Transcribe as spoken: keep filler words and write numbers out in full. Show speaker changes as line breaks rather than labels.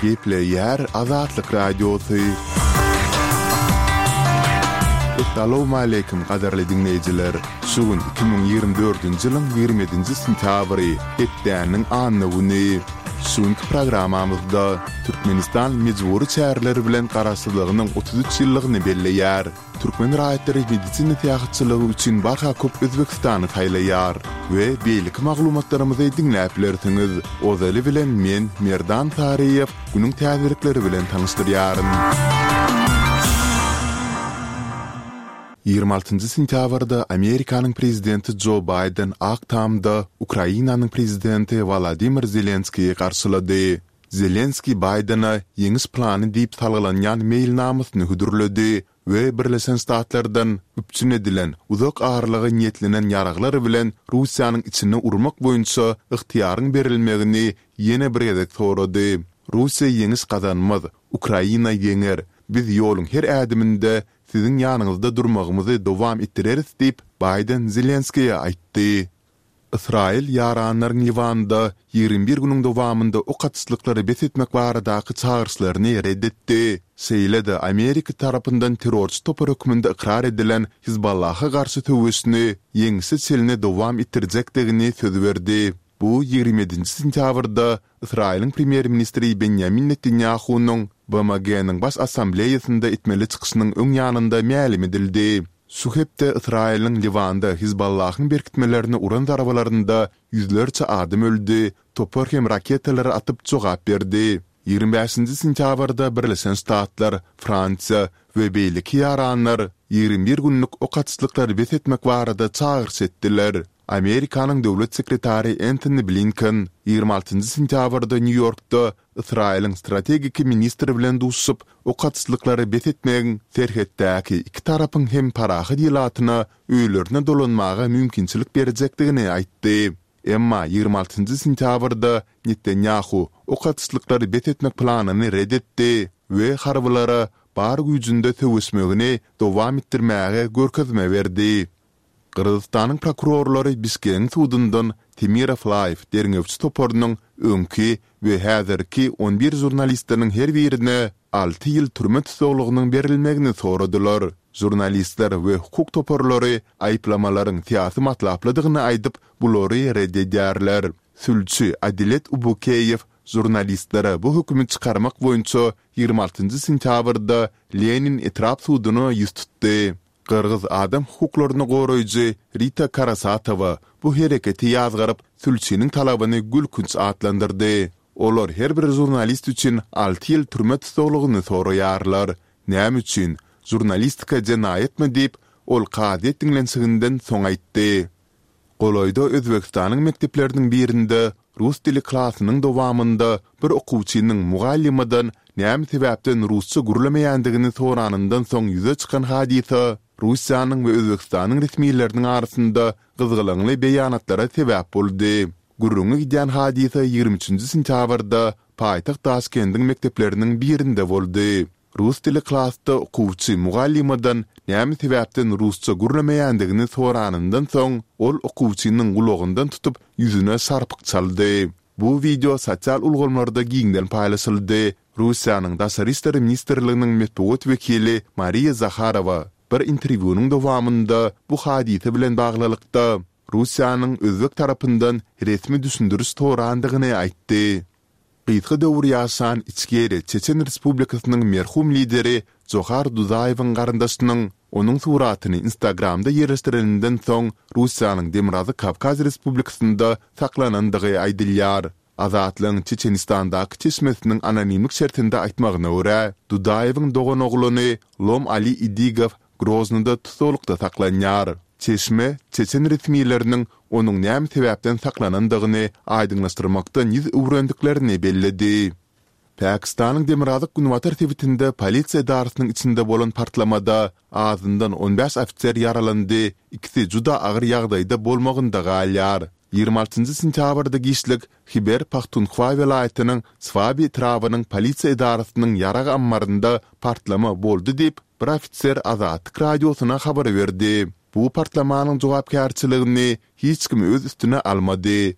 Gepleýär Azatlyk Radiosy. Essalawmaleýkim gadyrly diňleýjiler! Şu gün iki müň ýigrimi dördünji ýylyň ýigrimi ýedinji sentýabry, hepdäniň anna güni. Şu günki programmamyzda Türkmenistan mejbury çäreler bilen garaşsyzlygynyň otuz üç ýyllygyny belleýär. Türkmen raýatlary medisina syýahatçylygy üçin barha köp Özbekistany saýlaýar we beýleki maglumatlarymyzy diňläp bilersiňiz. Ozaly bilen men, Merdan Saryýew, günüň täzelikleri bilen tanyşdyrýaryn. Ýigrimi altynjy sentýabrda Amerikanyň prezidenti Jo Baýden Ak Tamda Ukrainanyň prezidenti Wolodymyr Zelenskiýi garşylady. Zelenskiý Baýdene Ýeňiş plany diýip salgylanýan meýilnamasyny hödürledi we Birleşen Ştatlardan üpjün edilen uzak aralyga niýetlenen ýaraglar bilen Russiýanyň içine urmak boýunça ygtyýaryň berilmegini ýene bir gezek sorady. Russiýa ýeňiş gazanmaz, Ukraina ýeňer. Biz ýoluň her ädiminde siziň ýanyňyzda durmagymyzy dowam etdireris diýip, Baýden Zelenskiýe aýtdy. Ysraýyl ýaranlaryň Liwanda ýigrimi bir günüň dowamynda ok atyşlyklary bes etmek baradaky çagyryşlaryny ret etdi. Şeýle-de Amerika tarapyndan terrorçy topar hökmünde ykrar edilen Hizballaha garşy söweşini ýeňişe çenli dowam etdirjekdigini söz berdi. Bu ýigrimi ýedinji sentýabrda Ysraýylyň premýer-ministri Benýamin Netanýahunyň BMG-niň Baş Assambleýasynda etmeli çykyşynyň öň ýanynda mälim edildi. Şu hepde Ysraýylyň Liwanda Hizballahyň berkitmelerine uran zarbalarynda ýüzlerçe adam öldi, topar hem raketalary atyp jogap berdi. Ýigrimi bäşinji sentýabrda Birleşen Ştatlar, Fransiýa we beýleki ýaranlar ýigrimi bir günlük ok atyşlyklary bes etmek barada çagyryş etdiler. Amerikanyň döwlet sekretary Entoni Blinken ýigrimi altynjy sentýabrda Nýu-Ýorkda Ysraýylyň strategik ministri bilen duşuşyp, ok atyşlyklary bes etmegiň serhetdäki iki tarapyň hem parahat ilatyna öýlerine dolanmaga mümkinçilik berjekdigini aýtdy. Emma ýigrimi altynjy sentýabrda Netanýahu ok atyşlyklary bes etmek planyny ret etdi we harbylara bar güýjünde söweşmegini dowam etdirmäge görkezme berdi. Gyrgyzystanyň prokurorlary Bişkegiň sudundan Temirow Live derňewçi toparynyň öňki we häzirki on bir žurnalistiniň her birine alty ýyl türme tussaglygynyň berilmegini soradylar. Žurnalistler we hukuk toparlary aýyplamalaryň syýasy matlaplydygyny aýdyp, bulary ret edýärler. Sülçi Adilet Ubukeýew žurnalistlere bu hökümi çykarmak boýunça ýigrimi altynjy sentýabrda Lenin etrap suduna ýüz tutdy. Gyrgyz adam hukuklaryny goraýjy Rita Karasatowa bu hereketi ýazgaryp, sülçiniň talabyny gülkünç atlandyrdy. Olar her bir žurnalist üçin alty ýyl türme tussaglygyny soraýarlar. Näme üçin? Žurnalistika jenaýatmy diýip, ol kazyýet diňlenişiginden soň aýtdy. Golaýda Özbegistanyň mekdepleriniň birinde rus dili klasynyň dowamynda bir okuwçynyň mugallymadan näme sebäpden rusça gürlemeýändigini soranyndan soň ýüze çykan hadysa Russiýanyň we Özbegistanyň resmileriniň arasynda gyzgalaňly beýanatlara sebäp boldy. Gürrüňi gidýän hadysa ýigrimi üçünji sentýabrda paýtagt Daşkendiň mekdepleriniň birinde boldy. Rus dili klasda okuwçy mugallymadan näme sebäpden rusça gürlemeýändigini soranyndan soň, ol okuwçynyň gulagyndan tutup, ýüzüne şarpyk çaldy. Bu wideo sosial ulgamlarda giňden paýlaşyldy. Russiýanyň Daşary işler ministrliginiň metbugat wekili Mariýa Zaharowa bir interwýunyň dowamynda bu hadysa bilen baglylykda, Russiýanyň özbek tarapyndan resmi düşündiriş sorandygyny aýtdy. Gysga döwür ýaşan Içkeriýa Çeçen Respublikasynyň merhum lideri Johar Dudaýewiň garyndaşynyň onuň suratyny Instagramda ýerleşdireninden soň Russiýanyň Demirgazyk Kawkaz Respublikasynda saklanandygy aýdylýar. Azatlygyň Çeçenistandaky çeşmesiniň anonimlik şertinde aýtmagyna görä, Dudaýewiň doganoglany Lom Ali Idigow Groznada tussaglykda saklanýar. Çeşme çeçen resmileriniň onuň näme sebäpden saklanandygyny aýdyňlaşdyrmakdan ýüz öwrendiklerini belledi. Pakistanyň demirgazyk-günbatar sebitinde polisiýa edarasynyň içinde bolan partlamada azyndan on bäş ofiser ýaralandy, ikisi juda agyr ýagdaýda bolmagynda galýar. Ýigrimi altynjy sentýabrda giçlik Hiber Pahtunhwa welaýatynyň Swabi etrabynyň polisiýa edarasynyň ýarag ammarynda partlama boldy diýip, bir ofiser Azatlyk Radiosyna habar berdi. Bu partlamanyň jogapkärçiligini hiç kim öz üstüne almady.